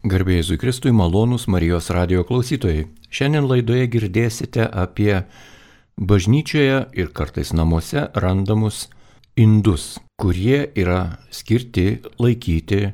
Garbė Jėzui Kristui, malonūs Marijos radijo klausytojai. Šiandien laidoje girdėsite apie bažnyčioje ir kartais namuose randamus indus, kurie yra skirti laikyti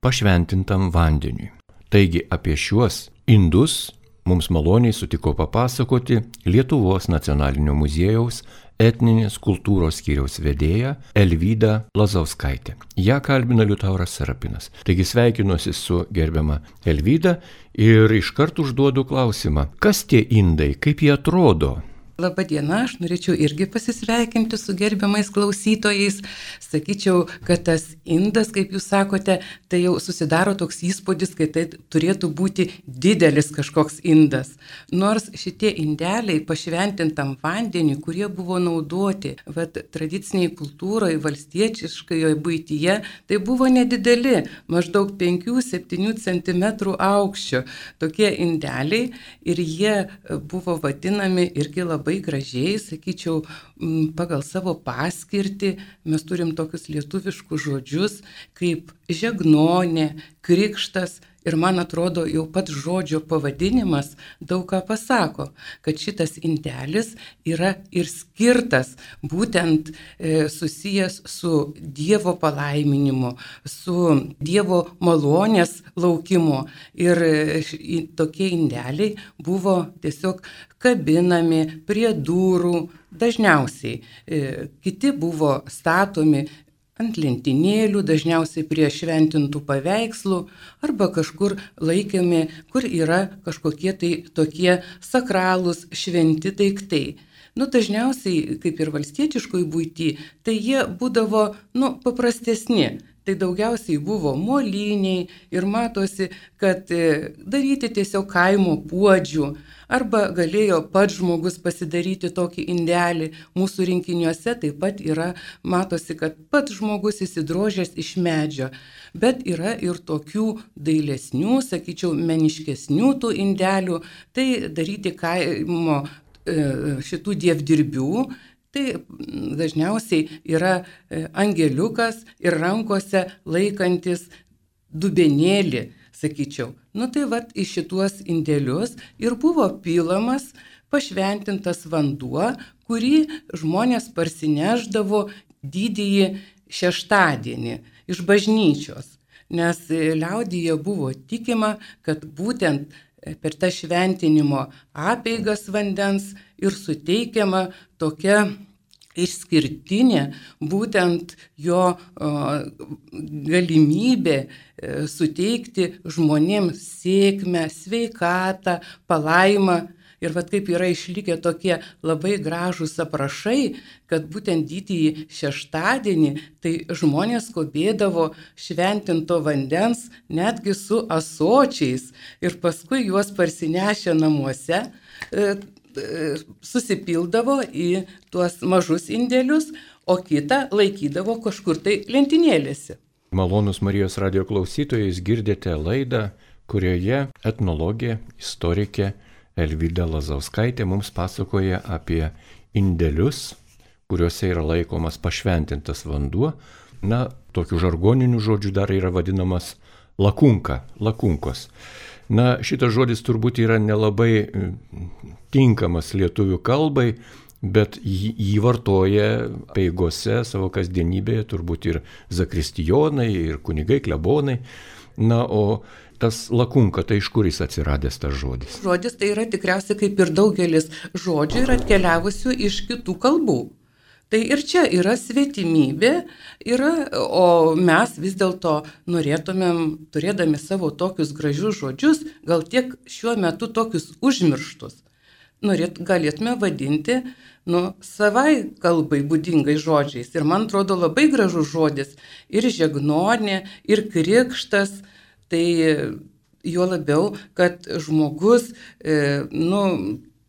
pašventintam vandeniui. Taigi apie šiuos indus mums maloniai sutiko papasakoti Lietuvos nacionalinio muziejaus etninės kultūros skyriaus vedėja Elvyda Lazauskaitė. Ja kalbina Liutauras Serapinas. Taigi sveikinuosi su gerbiama Elvyda ir iškart užduodu klausimą, kas tie indai, kaip jie atrodo? Labadiena, aš norėčiau irgi pasisveikinti su gerbiamais klausytojais. Sakyčiau, kad tas indas, kaip jūs sakote, tai jau susidaro toks įspūdis, kad tai turėtų būti didelis kažkoks indas. Nors šitie indeliai pašventintam vandeniui, kurie buvo naudoti tradiciniai kultūroje, valstiečiškoje buityje, tai buvo nedideli, maždaug 5-7 cm aukščio tokie indeliai ir jie buvo vadinami irgi labai gražiai, sakyčiau, pagal savo paskirtį. Mes turim tokius lietuviškus žodžius kaip žegnonė, krikštas ir man atrodo jau pats žodžio pavadinimas daug ką pasako, kad šitas indelis yra ir skirtas būtent susijęs su Dievo palaiminimu, su Dievo malonės laukimu. Ir tokie indeliai buvo tiesiog kabinami prie durų, dažniausiai kiti buvo statomi ant lentynėlių, dažniausiai prie šventintų paveikslų arba kažkur laikėmi, kur yra kažkokie tai tokie sakralūs šventi daiktai. Dažniausiai, kaip ir valstietiškoj buity, tai jie būdavo paprastesni. Tai daugiausiai buvo moliniai ir matosi, kad daryti tiesiog kaimo puodžių arba galėjo pats žmogus pasidaryti tokį indelį. Mūsų rinkiniuose taip pat yra, matosi, kad pats žmogus įsidrožęs iš medžio. Bet yra ir tokių dailesnių, sakyčiau, meniškesnių tų indelių, tai daryti kaimo šitų dievdirbių. Tai dažniausiai yra angeliukas ir rankose laikantis dubenėlį, sakyčiau. Tai į šituos indelius ir buvo pilamas pašventintas vanduo, kurį žmonės parsineždavo didįjį šeštadienį iš bažnyčios. Nes liaudyje buvo tikima, kad būtent per tą šventinimo apeigas vandens ir suteikiama tokia išskirtinė būtent jo galimybė suteikti žmonėms sėkmę, sveikatą, palaimą. Ir kaip yra išlikę tokie labai gražūs aprašai, kad būtent didįjį šeštadienį tai žmonės skubėdavo šventinto vandens netgi su ąsočiais ir paskui juos parsinešę namuose susipildavo į tuos mažus indelius, o kitą laikydavo kažkur tai lentynėlėse. Malonūs Marijos radijo klausytojai, girdite laidą, kurioje etnologė, istorikė Elvyda Lazauskaitė mums pasakoja apie indelius, kuriuose yra laikomas pašventintas vanduo. Tokiu žargoniniu žodžiu dar yra vadinamas lakunkos. Šitas žodis turbūt yra nelabai tinkamas lietuvių kalbai, bet jį vartoja apeigose savo kasdienybėje turbūt ir zakristijonai, ir kunigai, klebonai. O tas lakunka, tai iš kur jis atsiradęs tas žodis? Žodis tai yra tikriausiai kaip ir daugelis žodžių yra atkeliavusių iš kitų kalbų. Tai ir čia yra svetimybė, o mes vis dėlto norėtumėm, turėdami savo tokius gražius žodžius, gal tiek šiuo metu tokius užmirštus, galėtume vadinti savai kalbai būdingai žodžiais. Ir man atrodo labai gražus žodis ir žegnonė, ir krikštas. Tai juo labiau, kad žmogus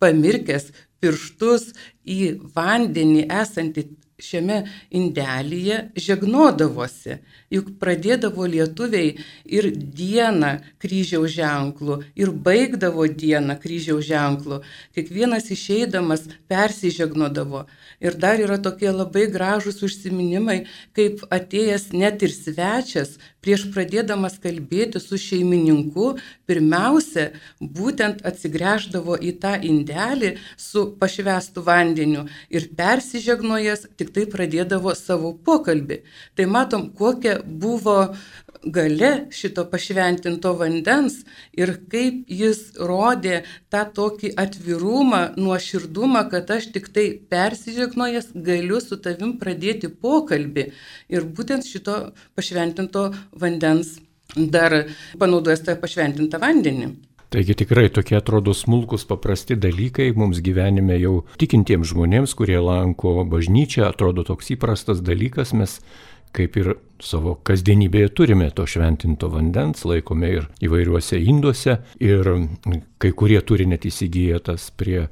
pamirkęs pirštus į vandenį esantį šiame indelyje žegnodavosi. Juk pradėdavo lietuviai ir dieną kryžiaus ženklų, ir baigdavo dieną kryžiaus ženklų. Kiekvienas išeidamas persižegnodavo. Ir dar yra tokie labai gražūs užsiminimai, kaip atėjęs net ir svečias prieš pradėdamas kalbėti su šeimininku, pirmiausia, būtent atsigręždavo į tą indelį su pašvęstu vandeniu ir persižegnojęs tik tai pradėdavo savo pokalbį. Tai matom, kokia buvo galia šito pašventinto vandens ir kaip jis rodė tą tokį atvirumą, nuoširdumą, kad aš tik tai persižegnojęs galiu su tavim pradėti pokalbį. Ir būtent šito pašventinto vandens dar panaudojęs tą pašventintą vandenį. Taigi tikrai tokie atrodo smulkus paprasti dalykai mums gyvenime jau tikintiems žmonėms, kurie lanko bažnyčią, atrodo toks įprastas dalykas, mes kaip ir savo kasdienybėje turime to šventinto vandens, laikome ir įvairiuose induose ir kai kurie turi net įsigiję tas prie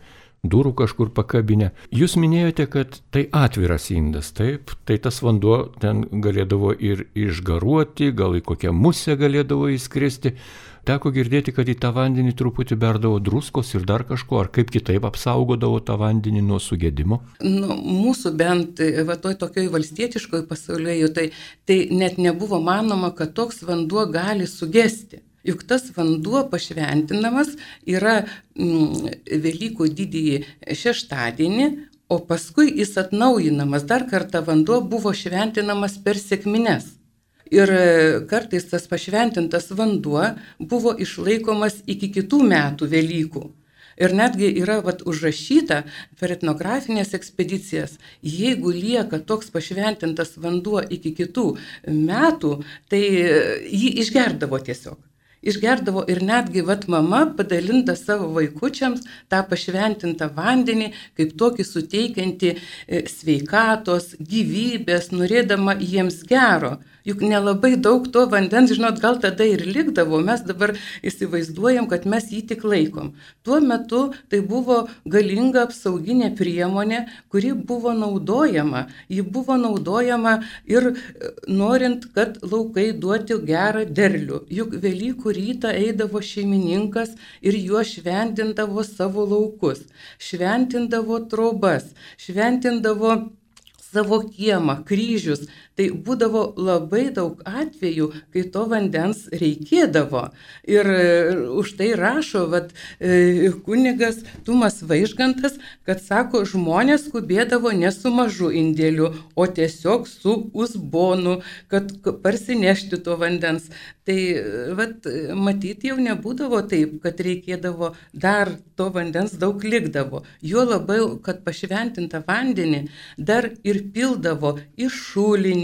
durų kažkur pakabinę. Jūs minėjote, kad tai atviras indas, taip, tai tas vanduo ten galėdavo ir išgaruoti, gal į kokią musę galėdavo įskristi. Teko girdėti, kad į tą vandenį truputį berdavo druskos ir dar kažko, ar kaip kitaip apsaugodavo tą vandenį nuo sugedimo? Mūsų bent tokioj valstietiškoj pasaulyje tai net nebuvo manoma, kad toks vanduo gali sugesti. Juk tas vanduo pašventinamas yra Velykų didįjį šeštadienį, o paskui jis atnaujinamas. Dar kartą vanduo buvo šventinamas per sekmines. Ir kartais tas pašventintas vanduo buvo išlaikomas iki kitų metų Velykų. Ir netgi yra užrašyta per etnografinės ekspedicijas, jeigu lieka toks pašventintas vanduo iki kitų metų, tai jį išgerdavo tiesiog. Išgerdavo ir netgi mama padalinta savo vaikučiams tą pašventintą vandenį, kaip tokį suteikiantį sveikatos, gyvybės, norėdama jiems gero. Juk nelabai daug to vandens, gal tada ir likdavo, mes dabar įsivaizduojam, kad mes jį tik laikom. Tuo metu tai buvo galinga apsauginė priemonė, kuri buvo naudojama. Ji buvo naudojama ir norint, kad laukai duotų gerą derlių. Juk Velykų rytą eidavo šeimininkas ir juo šventindavo savo laukus, šventindavo trobas, šventindavo savo kiemą, kryžius. Tai būdavo labai daug atvejų, kai to vandens reikėdavo. Ir už tai rašo kunigas Tumas Vaižgantas, kad sako, žmonės skubėdavo ne su mažu indėliu, o tiesiog su uzbonu, kad parsinešti to vandens. Tai matyti jau nebūdavo taip, kad reikėdavo dar to vandens daug likdavo. Juo labiau, kad pašventintą vandenį dar ir pildavo į šulinį,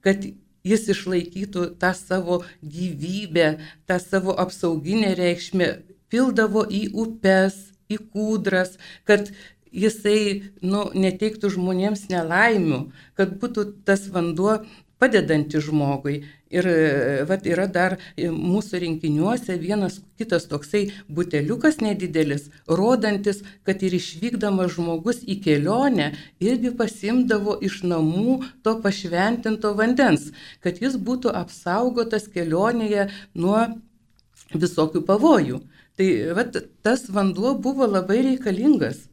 kad jis išlaikytų tą savo gyvybę, tą savo apsauginę reikšmę, pildavo į upes, į kūdras, kad jisai neteiktų žmonėms nelaimių, kad būtų tas vanduo padedantis žmogui. Ir yra dar mūsų rinkiniuose vienas kitas toksai buteliukas nedidelis, rodantis, kad ir išvykdamas žmogus į kelionę irgi pasimdavo iš namų to pašventinto vandens, kad jis būtų apsaugotas kelionėje nuo visokių pavojų. Tai tas vanduo buvo labai reikalingas.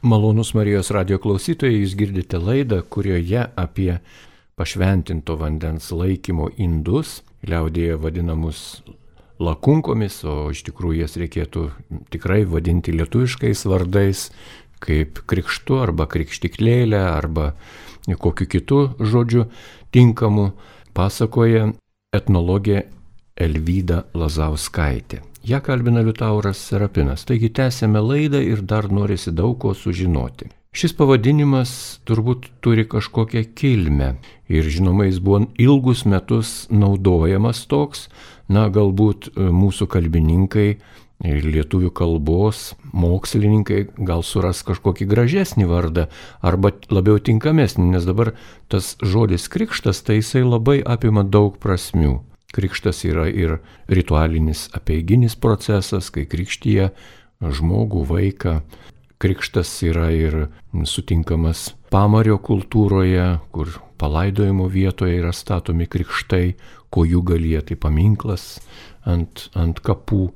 Malonūs Marijos radijo klausytojai, jūs girdite laidą, kurioje apie pašventinto vandens laikymo indus, liaudėje vadinamus lakunkomis, o iš tikrųjų jas reikėtų tikrai vadinti lietuviškais vardais, kaip krikštu arba krikštiklėlė arba kokiu kitu žodžiu tinkamu, pasakoja etnologė Elvyda Lazauskaitė. Ja kalbina Liutauras Serapinas. Taigi tęsėme laidą ir dar norisi daug ko sužinoti. Šis pavadinimas turbūt turi kažkokią kilmę ir žinoma, jis buvo ilgus metus naudojamas toks, galbūt mūsų kalbininkai ir lietuvių kalbos mokslininkai gal suras kažkokį gražesnį vardą arba labiau tinkamesnį, nes dabar tas žodis krikštas, tai jisai labai apima daug prasmių. Krikštas yra ir ritualinis apeiginis procesas, kai krikštyja žmogų, vaiką. Krikštas yra ir sutinkamas pamario kultūroje, kur palaidojimo vietoje yra statomi krikštai, Kojūgalyje tai paminklas ant kapų.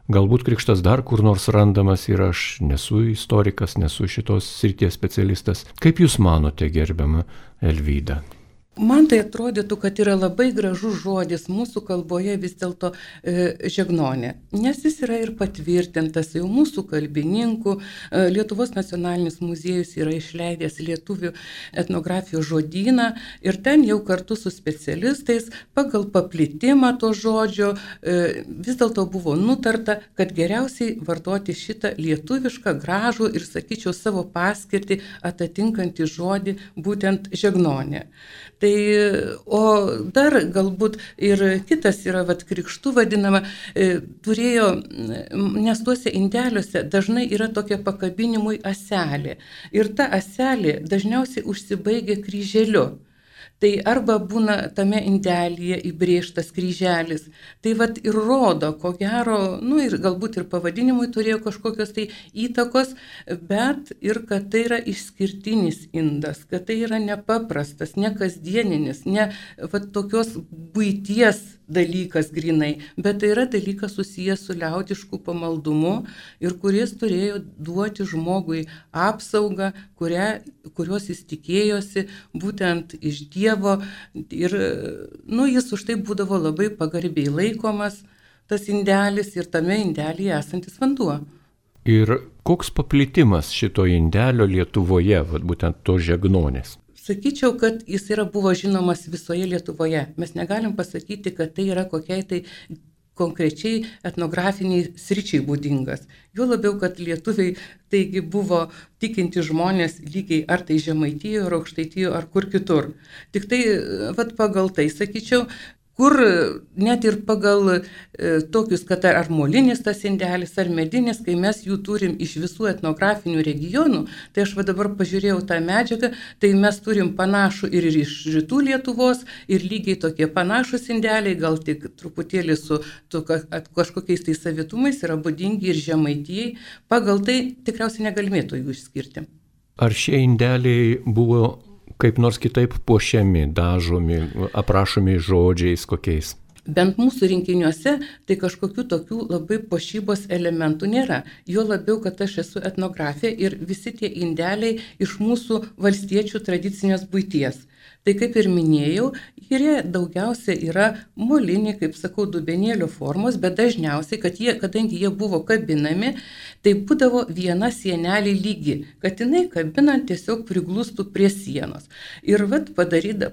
Galbūt krikštas dar kur nors randamas ir aš nesu istorikas, nesu šitos srities specialistas. Kaip Jūs manote, gerbiama Elvyda? Man tai atrodytų, kad yra labai gražus žodis mūsų kalboje vis dėlto žegnonė, nes jis yra ir patvirtintas jau mūsų kalbininkų. Lietuvos nacionalinis muziejus yra išleidęs lietuvių etnografijos žodyną ir ten jau kartu su specialistais pagal paplitimą to žodžio vis dėlto buvo nutarta, kad geriausiai vartoti šitą lietuvišką, gražų ir, sakyčiau, savo paskirtį atitinkantį žodį, būtent žegnonė. Tai, o dar galbūt ir kitas yra, krikštų vadinama, turėjo, nes tuose indeliuose dažnai yra tokia pakabinimui aselė. Ir ta aselė dažniausiai užsibaigia kryželiu. Tai arba būna tame indelyje įbrėžtas kryželis. Tai ir rodo, ko gero, ir galbūt ir pavadinimui turėjo kažkokios tai įtakos, bet ir kad tai yra išskirtinis indas, kad tai yra nepaprastas, ne kasdieninis, ne tokios buities dalykas grinai, bet tai yra dalykas susijęs su liaudišku pamaldumu ir kuris turėjo duoti žmogui apsaugą, kurios jis tikėjosi būtent iš Dievo ir jis už tai būdavo labai pagarbiai laikomas, tas indelis ir tame indelyje esantis vanduo. Ir koks paplitimas šito indelio Lietuvoje, būtent to žegnonės? Sakyčiau, kad jis buvo žinomas visoje Lietuvoje. Mes negalim pasakyti, kad tai yra kokiai tai konkrečiai etnografiniai sričiai būdingas. Jo labiau, kad lietuviai taigi buvo tikinti žmonės lygiai ar tai Žemaitijoje, ar Aukštaitijoje, ar kur kitur. Tik tai, pagal tai, sakyčiau, kur net ir pagal tokius, kad ar molinis tas indelis, ar medinis, kai mes jų turim iš visų etnografinių regionų, tai aš dabar pažiūrėjau tą medžiagą, tai mes turim panašų ir iš rytų Lietuvos, ir lygiai tokie panašus indeliai, gal tik truputėlį su kažkokiais tai savitumais yra būdingi ir Žemaitijai, pagal tai tikriausiai negalėtų jų išskirti. Ar šie indeliai buvo kaip nors kitaip puošiami, dažomi, aprašomi žodžiais kokiais? Bent mūsų rinkiniuose tai kažkokių tokių labai puošybos elementų nėra. Jo labiau, kad aš esu etnografė ir visi tie indeliai iš mūsų valstiečių tradicinės buities. Tai kaip ir minėjau, jie daugiausia yra moliniai, kaip sakau, dubenėlio formos, bet dažniausiai, kadangi jie buvo kabinami, tai būdavo viena sienelė lygi, kad jinai kabinant tiesiog priglustų prie sienos. Ir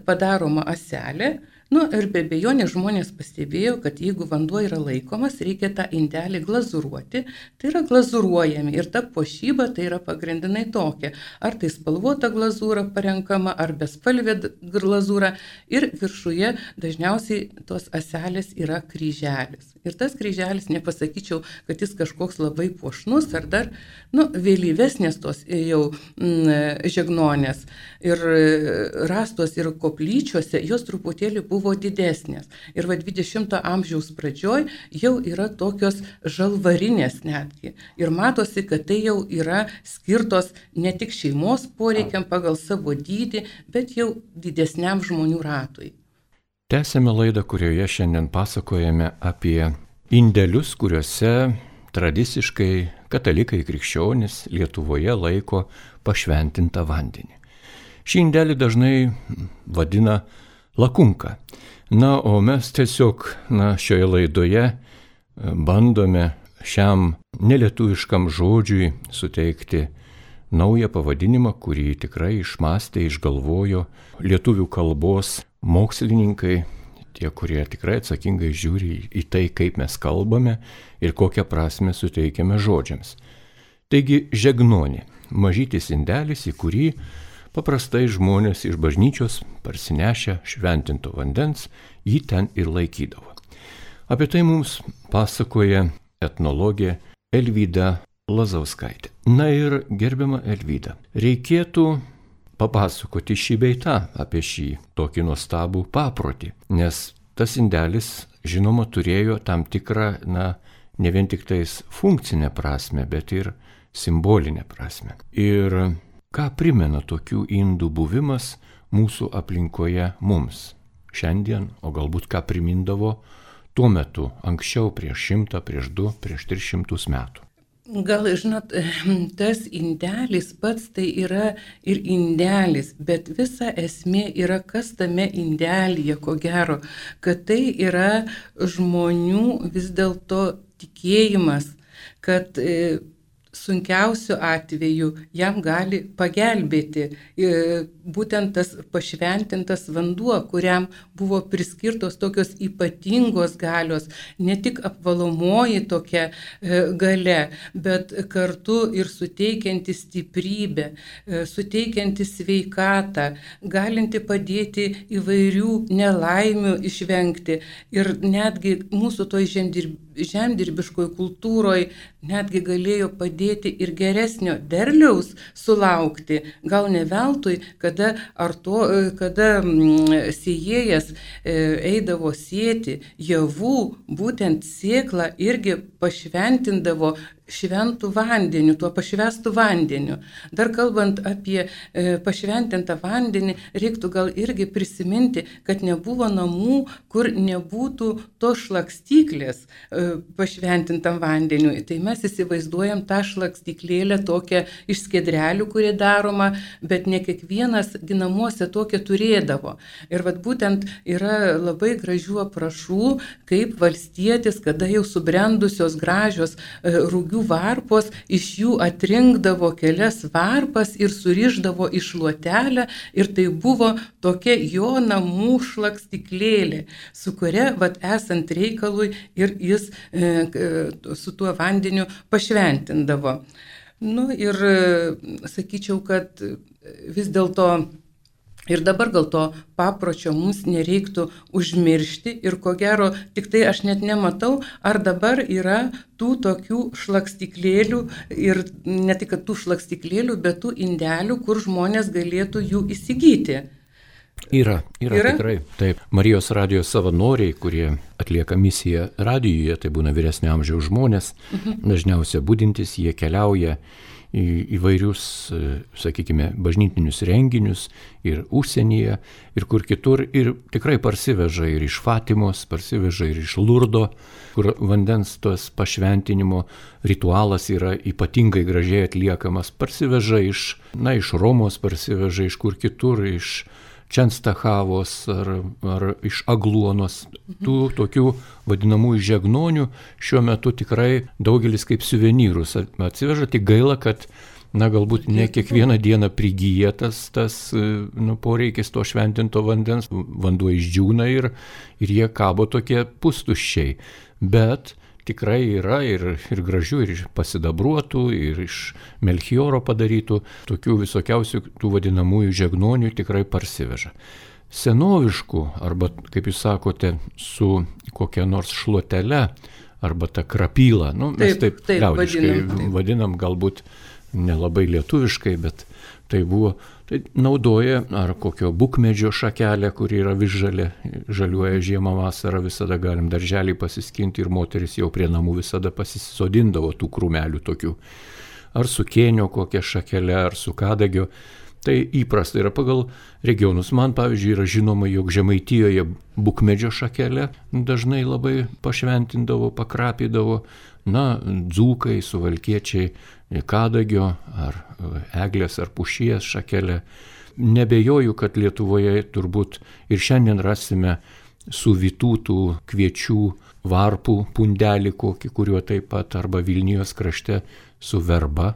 padaroma aselė. Ir be abejonės žmonės pastebėjo, kad jeigu vanduo yra laikomas, reikia tą indelį glazūruoti, tai yra glazūruojami ir ta puošyba tai yra pagrindinai tokia, ar tai spalvota glazūra parenkama, ar bespalvė glazūra ir viršuje dažniausiai tos aselės yra kryželis. Ir tas kryželis, nepasakyčiau, kad jis kažkoks labai puošnus, ar dar, vėlyvesnės tos jau žegnonės ir rastos ir koplyčiose, jos truputėlį buvo didesnės. Ir 20 amžiaus pradžioj jau yra tokios žalvarinės netgi. Ir matosi, kad tai jau yra skirtos ne tik šeimos poreikiam pagal savo dydį, bet jau didesniam žmonių ratui. Tęsėme laidą, kurioje šiandien pasakojame apie indelius, kuriuose tradiciškai katalikai krikščionys Lietuvoje laiko pašventintą vandenį. Šį indelį dažnai vadina lakunka. O mes tiesiog šioje laidoje bandome šiam nelietuviškam žodžiui suteikti naują pavadinimą, kurį tikrai išmąstė, išgalvojo lietuvių kalbos mokslininkai, tie, kurie tikrai atsakingai žiūri į tai, kaip mes kalbame ir kokią prasmę suteikiame žodžiams. Taigi žegnonė, mažytis indelis, į kurį paprastai žmonės iš bažnyčios parsinešę šventinto vandens jį ten ir laikydavo. Apie tai mums pasakoja etnologė Elvyda Lazauskaitė. Ir gerbiama Elvyda, reikėtų papasakoti šį bei tą apie šį tokį nuostabų paprotį, nes tas indelis, žinoma, turėjo tam tikrą, ne vien tik tais funkcinę prasme, bet ir simbolinę prasme. Ir ką primena tokių indų buvimas mūsų aplinkoje mums šiandien, o galbūt ką primindavo tuo metu, anksčiau, prieš 100, prieš 2, prieš 300 metų. Gal, žinot, tas indelis pats tai yra ir indelis, bet visa esmė yra, kas tame indelyje, ko gero, kad tai yra žmonių vis dėlto tikėjimas, kad sunkiausiu atveju jam gali pagelbėti būtent tas pašventintas vanduo, kuriam buvo priskirtos tokios ypatingos galios, ne tik apvalomoji tokia galia, bet kartu ir suteikianti stiprybę, suteikianti sveikatą, galinti padėti įvairių nelaimių išvengti. Ir netgi mūsų toj žemdirbiškoj kultūroje netgi galėjo padėti ir geresnio derliaus sulaukti. Gal ne veltui, kada sėjėjas eidavo sėti javų, būtent sėklą irgi pašventindavo šventų vandeniu, tuo pašvestų vandeniu. Dar kalbant apie pašventintą vandenį, reiktų gal irgi prisiminti, kad nebuvo namų, kur nebūtų tos šlakstyklės pašventintam vandeniu. Tai mes įsivaizduojam tą šlakstyklėlę tokią iš skiedrelių, kurie daroma, bet ne kiekvienas namuose tokią turėdavo. Ir vat būtent yra labai gražių aprašų, kaip valstietis, kada jau subrendusios gražios rūgių varpos, iš jų atrinkdavo kelias varpas ir surišdavo į šluotelę, ir tai buvo tokia jo namų šlakstyklėlė, su kuria, esant reikalui, ir jis su tuo vandeniu pašventindavo. Ir sakyčiau, kad vis dėlto ir dabar gal to papročio mums nereiktų užmiršti, ir ko gero, tik tai aš net nematau, ar dabar yra tų tokių šlakstyklėlių, ir ne tik tų šlakstyklėlių, bet tų indelių, kur žmonės galėtų jų įsigyti. Yra tikrai. Taip, Marijos radijos savanoriai, kurie atlieka misiją radijuje, tai būna vyresnio amžiaus žmonės, dažniausiai budintis, jie keliauja į įvairius, sakykime, bažnytinius renginius ir užsienyje, ir kur kitur, ir tikrai parsiveža ir iš Fatimos, parsiveža ir iš Lurdo, kur vandens tos pašventinimo ritualas yra ypatingai gražiai atliekamas, parsiveža iš Romos, parsiveža iš kur kitur, iš Čenstachavos ar iš Agluonos. Tų tokių vadinamųjų žegnonių šiuo metu tikrai daugelis kaip suvenyrus atsiveža, tik gaila, kad galbūt ne kiekvieną dieną prigyja tas poreikis to šventinto vandens, vanduo išdžiūna ir jie kabo tokie pustuščiai. Bet tikrai yra ir gražių, ir pasidabruotų, ir iš Melchioro padarytų, tokių visokiausių tų vadinamųjų žegnonių tikrai parsiveža. Senoviškų, arba, kaip jūs sakote, su kokia nors šluotele, arba ta krapyla, mes taip liaudiškai vadinam, galbūt nelabai lietuviškai, bet tai naudoja ar kokio bukmedžio šakelę, kuri yra visžalė, žaliuoja žiemą vasarą, visada galim darželį pasiskinti, ir moteris jau prie namų visada pasisodindavo tų krūmelių tokių. Ar su kėnio kokia šakelė, ar su kadagio. Tai įprasta yra pagal regionus. Man, pavyzdžiui, yra žinoma, jog Žemaitijoje bukmedžio šakelę dažnai labai pašventindavo, pakrapydavo, dzūkai, suvalkiečiai, kadagio ar eglės ar pušies šakelę. Nebejoju, kad Lietuvoje turbūt ir šiandien rasime suvytų tų kviečių varpų pundelį kokį, kuriuo taip pat, arba Vilnijos krašte su verba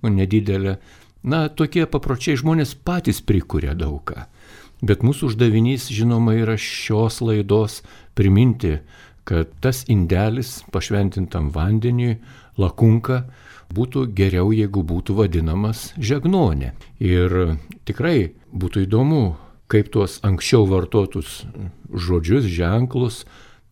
nedidelė. Tokie papročiai žmonės patys prikuria daugą. Bet mūsų uždavinys, žinoma, yra šios laidos priminti, kad tas indelis pašventintam vandeniui, lakunka, būtų geriau, jeigu būtų vadinamas žegnonė. Ir tikrai būtų įdomu, kaip tuos anksčiau vartotus žodžius, ženklus,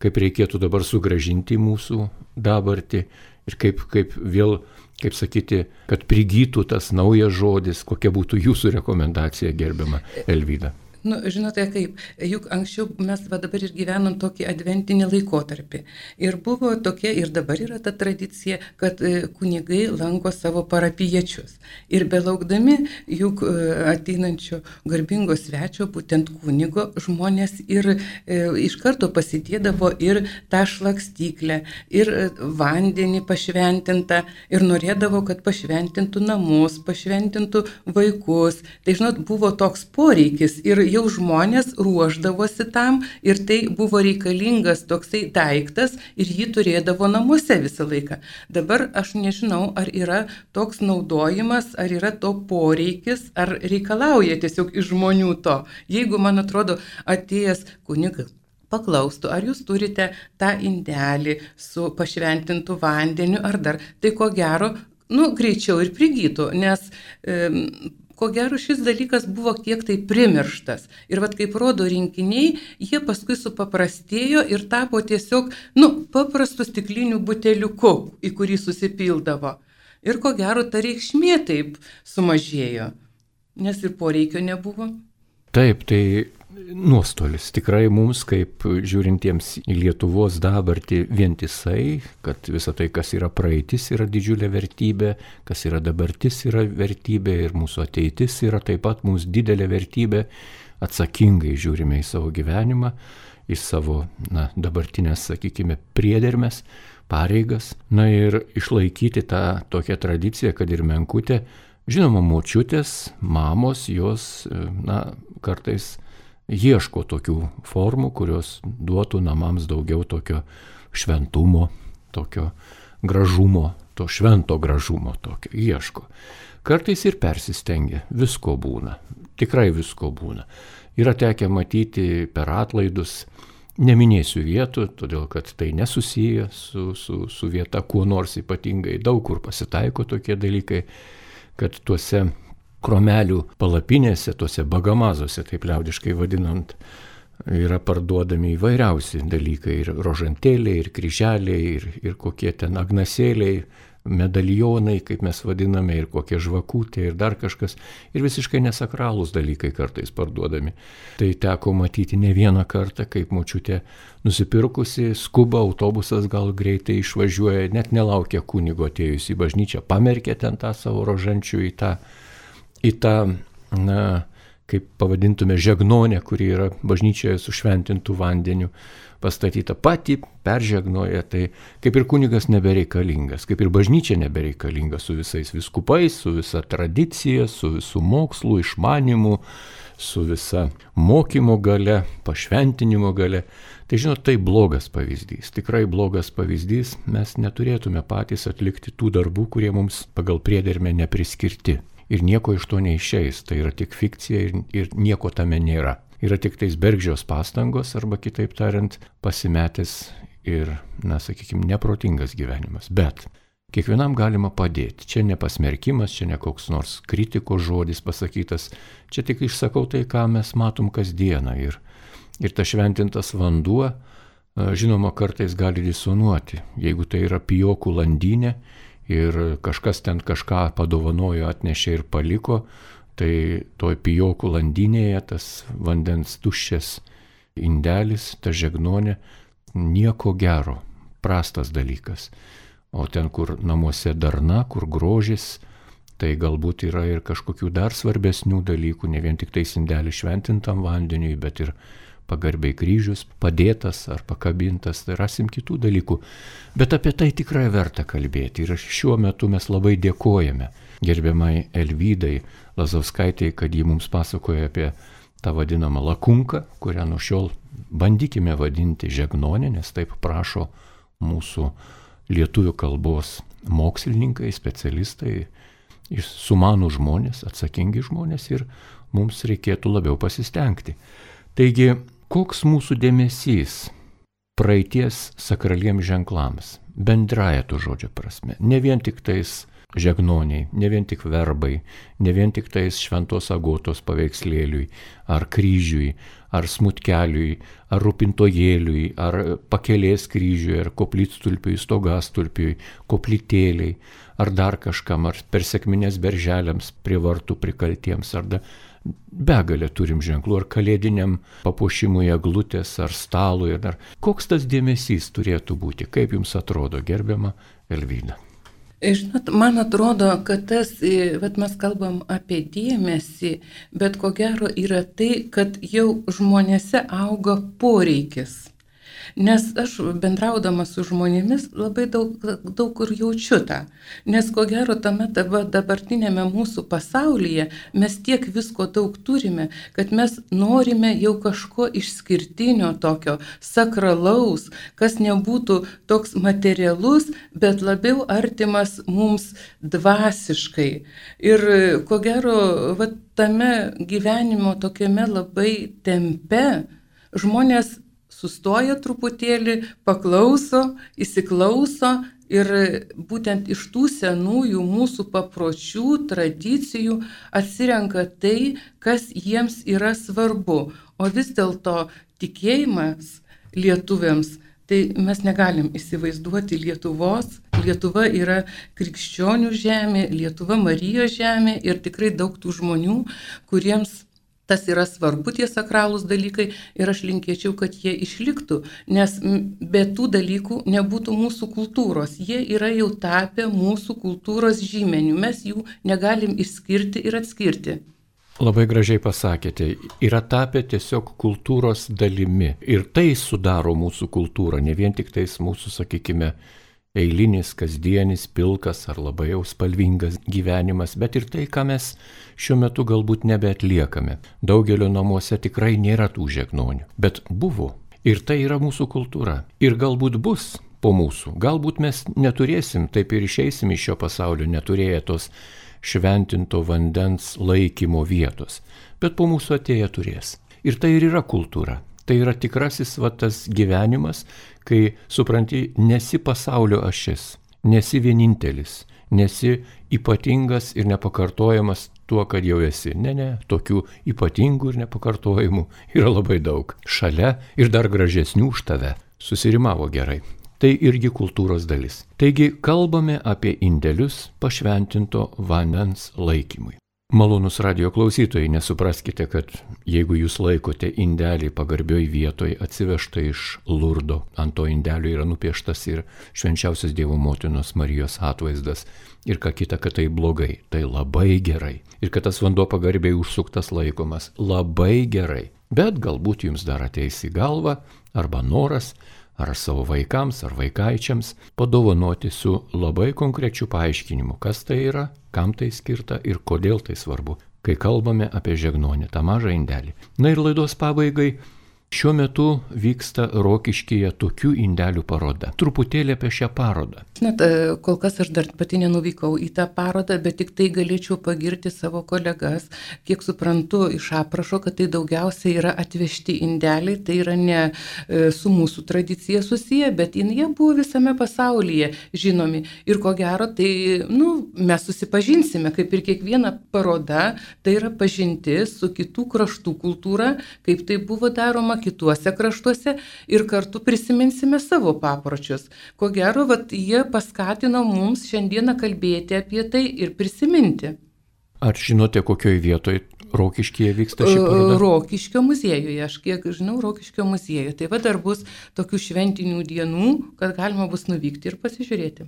kaip reikėtų dabar sugrąžinti mūsų dabartį ir kaip vėl, kaip sakyti, kad prigytų tas naujas žodis, kokia būtų jūsų rekomendacija, gerbiama Elvyda. Nu, žinote kaip, juk anksčiau mes dabar ir gyvenom tokį adventinį laikotarpį. Ir buvo tokia, ir dabar yra ta tradicija, kad kunigai lanko savo parapiečius. Ir belaukdami juk ateinančio garbingo svečio, būtent kunigo, žmonės ir iš karto pasidėdavo ir tą šlakstyklę, ir vandenį pašventintą, ir norėdavo, kad pašventintų namus, pašventintų vaikus. Tai, žinot, buvo toks poreikis ir jau žmonės ruošdavosi tam ir tai buvo reikalingas toksai daiktas ir jį turėdavo namuose visą laiką. Dabar aš nežinau, ar yra toks naudojimas, ar yra to poreikis, ar reikalauja tiesiog iš žmonių to. Jeigu, man atrodo, atėjęs kunigas paklaustų, ar jūs turite tą indelį su pašventintu vandeniu ar dar, tai ko gero, greičiau ir prigytų, nes ko gero šis dalykas buvo kiek tai primirštas. Ir kaip rodo rinkiniai, jie paskui supaprastėjo ir tapo tiesiog, paprastu stikliniu buteliuku, į kurį susipildavo. Ir ko gero ta reikšmė taip sumažėjo, nes ir poreikio nebuvo. Taip, tai nuostolis tikrai mums, kaip žiūrintiems į Lietuvos dabartį vientisai, kad visa tai, kas yra praeitis, yra didžiulė vertybė, kas yra dabartis, yra vertybė ir mūsų ateitis yra taip pat mums didelė vertybė, atsakingai žiūrime į savo gyvenimą, į savo dabartinės, sakykime, priedermes, pareigas, ir išlaikyti tą tokią tradiciją, kad ir menkutė, žinoma, močiutės, mamos, jos, kartais ieško tokių formų, kurios duotų namams daugiau tokio šventumo, tokio gražumo, to švento gražumo tokio ieško. Kartais ir persistengia, visko būna, tikrai visko būna. Yra tekę matyti per atlaidus, neminėsiu vietų, todėl kad tai nesusiję su vieta kuo nors ypatingai, daug kur pasitaiko tokie dalykai, kad tuose kromelių palapinėse, tuose bagamazuose, taip liaudiškai vadinant, yra parduodami įvairiausi dalykai, ir rožantėliai, ir kryželiai, ir kokie ten agnasėliai, medalionai, kaip mes vadiname, ir kokie žvakutė, ir dar kažkas, ir visiškai nesakralūs dalykai kartais parduodami. Tai teko matyti ne vieną kartą, kaip močiutė nusipirkusi, skuba, autobusas gal greitai išvažiuoja, net nelaukia kunigo atėjus į bažnyčią, pamerkė ten tą savo rožančių į tą, kaip pavadintume, žegnonę, kuri yra bažnyčioje su šventintu vandeniu pastatyta, pati peržegnoja, tai kaip ir kunigas nebereikalingas, kaip ir bažnyčia nebereikalinga su visais vyskupais, su visa tradicija, su visų mokslų, išmanimu, su visa mokymo gale, pašventinimo gale. Tai žinot, tai blogas pavyzdys, tikrai blogas pavyzdys, mes neturėtume patys atlikti tų darbų, kurie mums pagal priedermę nepriskirti. Ir nieko iš to neišeis, tai yra tik fikcija ir nieko tame nėra. Yra tik tais bergždžios pastangos, arba kitaip tariant, pasimetęs ir, sakykime, neprotingas gyvenimas. Bet kiekvienam galima padėti. Čia ne pasmerkimas, čia ne koks nors kritikos žodis pasakytas, čia tik išsakau tai, ką mes matom kasdieną. Ir tas šventintas vanduo, žinoma, kartais gali disonuoti. Jeigu tai yra pijokų landynė, ir kažkas ten kažką padovanojo, atnešė ir paliko, tai toj pijokų landynėje tas vandens tuščias indelis, ta žegnonė, nieko gero, prastas dalykas. O ten, kur namuose darna, kur grožis, tai galbūt yra ir kažkokių dar svarbesnių dalykų, ne vien tik tais indelis šventintam vandeniui, bet ir pagarbiai kryžius padėtas ar pakabintas, tai rasim kitų dalykų. Bet apie tai tikrai verta kalbėti. Ir šiuo metu mes labai dėkojame gerbiamai Elvydai Lazauskaitei, kad ji mums pasakoja apie tą vadinamą lakunką, kurią nuo šiol bandykime vadinti žegnonė, nes taip prašo mūsų lietuvių kalbos mokslininkai, specialistai, sumanų žmonės, atsakingi žmonės, ir mums reikėtų labiau pasistengti. Taigi, koks mūsų dėmesys praeities sakraliems ženklams, bendraja to žodžio prasme, ne vien tik tais žegnoniai, ne vien tik verbai, ne vien tik tais Šventos Agotos paveikslėliui, ar kryžiui, ar smutkeliui, ar rūpintojėliui, ar pakelės kryžiui, ar koplytstulpiui, stogastulpiui, koplytėliai, ar dar kažkam, ar per sekmines berželiams prie vartų prikaltiems, ar begalę turim ženklų, ar kalėdiniam papuošimui eglutės, ar stalui, ar koks tas dėmesys turėtų būti, kaip jums atrodo, gerbiama Elvyda? Žinot, man atrodo, kad tas, mes kalbam apie dėmesį, bet ko gero yra tai, kad jau žmonėse auga poreikis. Nes aš bendraudama su žmonėmis labai daug kur jaučiu tą. Nes ko gero tame dabartinėme mūsų pasaulyje mes tiek visko daug turime, kad mes norime jau kažko išskirtinio tokio, sakralaus, kas nebūtų toks materialus, bet labiau artimas mums dvasiškai. Ir ko gero tame gyvenimo tokiame labai tempe žmonės sustoja truputėlį, paklauso, įsiklauso ir būtent iš tų senųjų mūsų papročių, tradicijų atsirenka tai, kas jiems yra svarbu. O vis dėlto tikėjimas lietuviams, tai mes negalim įsivaizduoti Lietuvos. Lietuva yra krikščionių žemė, Lietuva Marijos žemė ir tikrai daug tų žmonių, kuriems tas yra svarbu, tie sakralūs dalykai, ir aš linkėčiau, kad jie išliktų, nes be tų dalykų nebūtų mūsų kultūros. Jie yra jau tapę mūsų kultūros žymeniu, mes jų negalim išskirti ir atskirti. Labai gražiai pasakėte, yra tapę tiesiog kultūros dalimi ir tai sudaro mūsų kultūrą, ne vien tik tais mūsų, sakykime, eilinis, kasdienis, pilkas ar labai jau spalvingas gyvenimas, bet ir tai, ką mes šiuo metu galbūt nebeatliekame. Daugelio namuose tikrai nėra tų žegnonių, bet buvo. Ir tai yra mūsų kultūra. Ir galbūt bus po mūsų. Galbūt mes neturėsim, taip ir išeisim iš šio pasaulio, neturėję tos šventinto vandens laikymo vietos. Bet po mūsų atėję turės. Ir tai ir yra kultūra. Tai yra tikrasis tas gyvenimas, kai supranti, nesi pasaulio ašis, nesi vienintelis, nesi ypatingas ir nepakartojamas tuo, kad jau esi. Ne, tokių ypatingų ir nepakartojimų yra labai daug. Šalia ir dar gražesnių už tave. Susirimavo gerai. Tai irgi kultūros dalis. Taigi kalbame apie indelius pašventinto vandens laikymui. Malonus radio klausytojai, nesupraskite, kad jeigu jūs laikote indelį pagarbioj vietoj atsivežtą iš Lurdo, ant to indelio yra nupieštas ir švenčiausios Dievo motinos Marijos atvaizdas ir ką kita, kad tai blogai, tai labai gerai. Ir kad tas vanduo pagarbiai užsuktas laikomas, labai gerai. Bet galbūt jums dar ateis į galvą arba noras, ar savo vaikams, ar vaikaičiams padovanoti su labai konkrečiu paaiškinimu, kas tai yra, kam tai skirta ir kodėl tai svarbu, kai kalbame apie žegnonį, tą mažą indelį. Na ir laidos pabaigai, šiuo metu vyksta Rokiškyje tokių indelių paroda. Truputėlį apie šią parodą. Žinot, kol kas aš dar pati nenuvykau į tą parodą, bet tik tai galėčiau pagirti savo kolegas. Kiek suprantu iš aprašo, kad tai daugiausiai yra atvežti indeliai, tai yra ne su mūsų tradicija susiję, bet jie buvo visame pasaulyje žinomi. Ir ko gero, tai mes susipažinsime, kaip ir kiekviena paroda, tai yra pažintis su kitų kraštų kultūra, kaip tai buvo daroma kituose kraštuose ir kartu prisiminsime savo papročius. Ko gero, jie paskatino mums šiandieną kalbėti apie tai ir prisiminti. Ar žinote, kokioje vietoje Rokiškyje vyksta ši paroda? Rokiškio muziejuje, aš kiek žinau, Rokiškio muziejuje. Tai dar bus tokių šventinių dienų, kad galima bus nuvykti ir pasižiūrėti.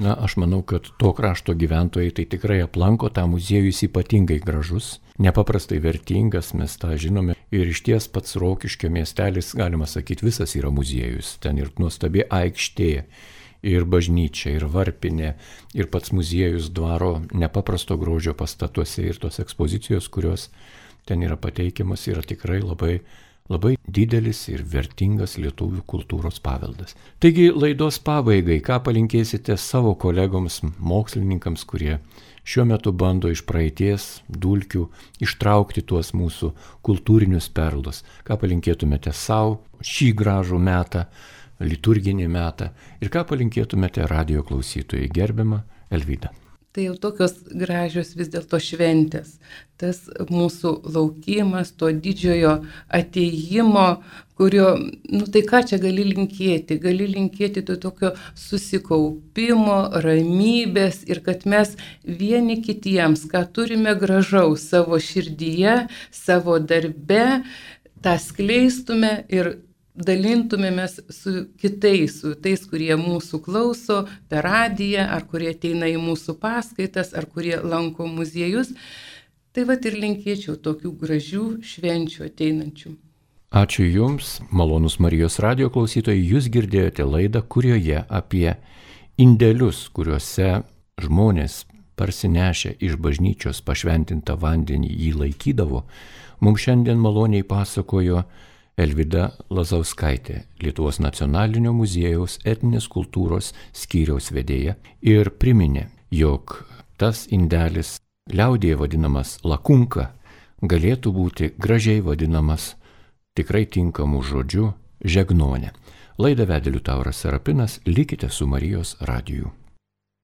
Na, aš manau, kad to krašto gyventojai tai tikrai aplanko, tą muziejų jis ypatingai gražus, nepaprastai vertingas, mes tą žinome. Ir išties pats Rokiškio miestelis, galima sakyti, visas yra muziejus. Ten ir nuostabi aikštė, ir bažnyčia, ir varpinė, ir pats muziejus dvaro nepaprasto grožio pastatuose ir tos ekspozicijos, kurios ten yra pateikiamas, yra tikrai labai didelis ir vertingas lietuvių kultūros paveldas. Taigi laidos pabaigai, ką palinkėsite savo kolegoms, mokslininkams, kurie šiuo metu bando iš praeities dulkių ištraukti tuos mūsų kultūrinius perlus, ką palinkėtumėte savo šį gražų metą, liturginį metą ir ką palinkėtumėte radio klausytojai, gerbiama Elvyda. Tai jau tokios gražios vis dėlto šventės. Tas mūsų laukimas, to didžiojo ateimo, kurio, tai ką čia gali linkėti? Gali linkėti to tokio susikaupimo, ramybės ir kad mes vieni kitiems, ką turime gražaus savo širdyje, savo darbe, tą skleistume ir dalintumėmės su kitais, su tais, kurie mūsų klauso per radiją, ar kurie ateina į mūsų paskaitas, ar kurie lanko muziejus. Tai vat ir linkėčiau tokių gražių švenčių ateinančių. Ačiū Jums, malonus Marijos radijo klausytojai, Jūs girdėjote laidą, kurioje apie indelius, kuriuose žmonės parsinešę iš bažnyčios pašventintą vandenį jį laikydavo, mums šiandien maloniai pasakojo Elvyda Lazauskaitė, Lietuvos nacionalinio muziejaus etninės kultūros skyriaus vedėja, ir priminė, jog tas indelis liaudyje vadinamas lakunka galėtų būti gražiai vadinamas tikrai tinkamų žodžių žegnonė. Laidą vedė Liutauras Serapinas, likite su Marijos radiju.